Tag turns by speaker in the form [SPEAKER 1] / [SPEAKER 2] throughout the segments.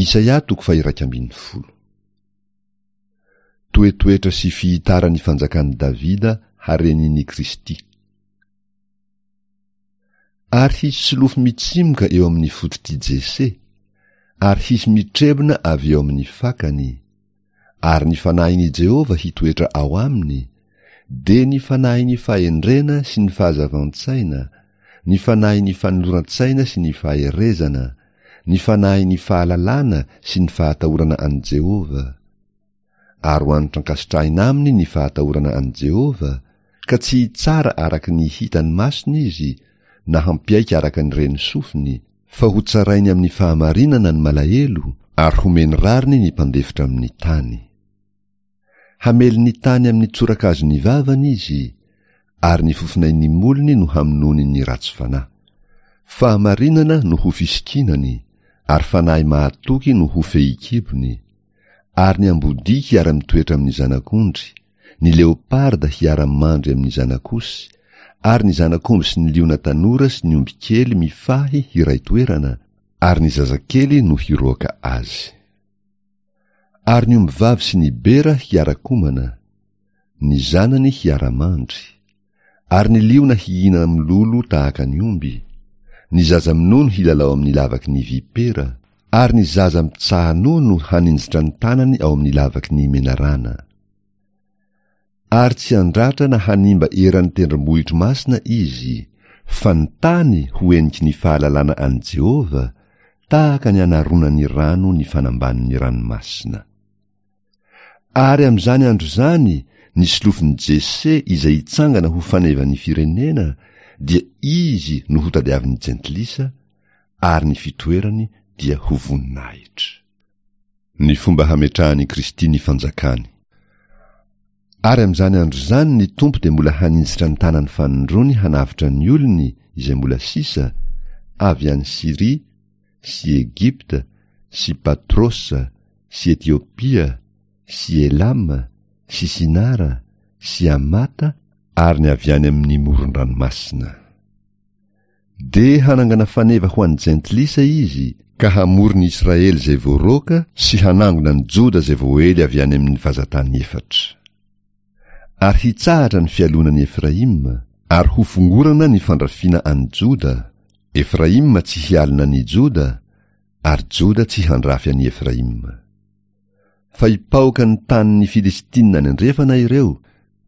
[SPEAKER 1] Isaia toko faha-11. Toetoetra sy fihitaran'ny fanjakan'i Davida harenin'i Kristy. Ary hisy solofo mitsimoka eo amin'ny fototr'i Jese, ary hisy mitrebona avy eo amin'ny fakany, ary ny fanahin'i Jehovah hitoetra ao aminy, dia ny fanahin'ny fahendrena sy ny fahazavan-tsaina, ny fanahin'ny fanoloran-tsaina sy ny faherezana, ny fanahin'ny fahalalana sy ny fahatahorana an'i Jehovah. Ary ho anitra ankasitrahina aminy ny fahatahorana an'i Jehovah, ka tsy hitsara araka ny hitan'ny masony izy, na hampiaiky araka ny ren'ny sofiny, fa hotsarainy amin'ny fahamarinana ny malahelo, ary homeny rariny ny mpandefitra amin'ny tany. Hamely ny tany amin'ny tsorakazon'ny vavany izy, ary ny fofonain'ny molony no hamonoany ny ratsy fanahy. Fahamarinana no ho fisikinany, ary fanahy mahatoky no ho fehikibony, ary ny ambodia hiara-mitoetra amin'ny zanak'ondry, ny leoparda hiara-mandry amin'ny zanak'osy, ary ny zanak'omby sy ny liona tanora sy ny ombikely mifahy hiray toerana, ary ny zazakely no hiroaka azy. Ary ny ombivavy sy ny bera hiara-komana, ny zanany hiara-mandry. Ary ny liona hihinana mololo tahaka ny omby, ny zaza minono hilalao amin'ny lavaky ny vipera, ary ny zaza mitsaha-nono haninjitra ny tanany ao amin'ny lavaky ny menarana. Ary tsy handratra na hanimba eran'ny tendrombohitro masina izy, fa ny tany ho heniky ny fahalalana an'i Jehovah, tahaka ny anaronan'ny rano ny fanambanin'ny ranomasina. Ary amin'izany andro izany ny solofon'i Jese izay hitsangana ho fanevan'ny firenena dia izy no hotadiavin'ny jentilisa ary ny fitoerany dia ho voninahitra. Ny fomba hametrahan'i Kristy ny fanjakany. Ary amin'izany andro izany ny Tompo dia mbola haninjitra ny tanany fanindroany hanavotra ny olony izay mbola sisa, avy any Syria, sy Egypta, sy Patrosa, sy Etiopia, sy Elama, sy Sinara, sy Hamata, ary ny avy any amin' ny moron-dranomasina. Dia hanangana faneva ho an'ny jentilisa izy, ka hamory ny Israely izay voaroaka sy hanangona ny Joda izay voaely avy any amin' ny vazan-tany efatra. Ary hitsahatra ny fialonan'i Efraima, ary hofongorana ny fandrafiana an'i Joda, Efraima tsy hialona an'i Joda, ary Joda tsy handrafy an'i Efraima. Fa hipaoka ny tanin'ny Filistina any andrefana ireo,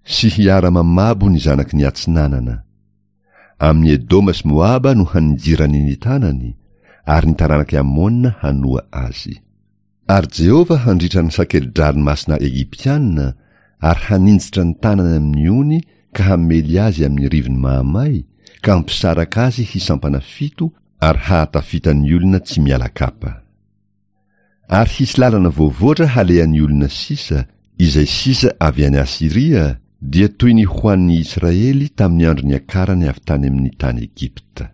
[SPEAKER 1] sy hiara-mamabo ny zanaky ny atsinanana. Amin'i Edoma sy Moaba no haninjirany ny tanany, ary ny taranak'i Amona hanoa azy. Ary Jehovah handritra ny sakeli-dranomasina Egyptiana ary haninjitra ny tanany amin'ny ony ka hamely azy amin'ny rivony mahamay ka hampisaraka azy hisampana fito ary hahatafita ny olona tsy miala kapa. Ary hisy lalana voavoatra halehan'ny olona sisa, izay sisa avy any Asyria, dia toy ny ho an'ny Israely tamin'ny andro niakarany avy tany amin'ny tany Egypta.